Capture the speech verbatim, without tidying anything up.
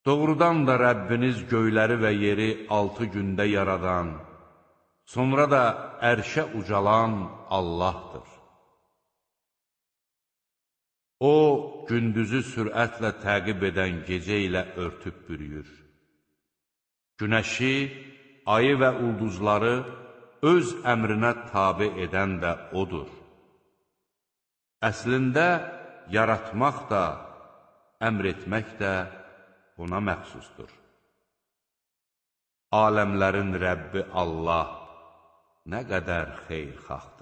Doğrudan da Rəbbiniz göyləri və yeri altı gündə yaradan, sonra da ərşə ucalan Allahdır. O, gündüzü sürətlə təqib edən gecə ilə örtüb bürüyür. Günəşi, ayı və ulduzları öz əmrinə tabe edən də O'dur. Əslində, yaratmaq da, əmr etmək də ona məxsusdur. Aləmlərin Rəbbi Allah nə qədər xeyirxahdır.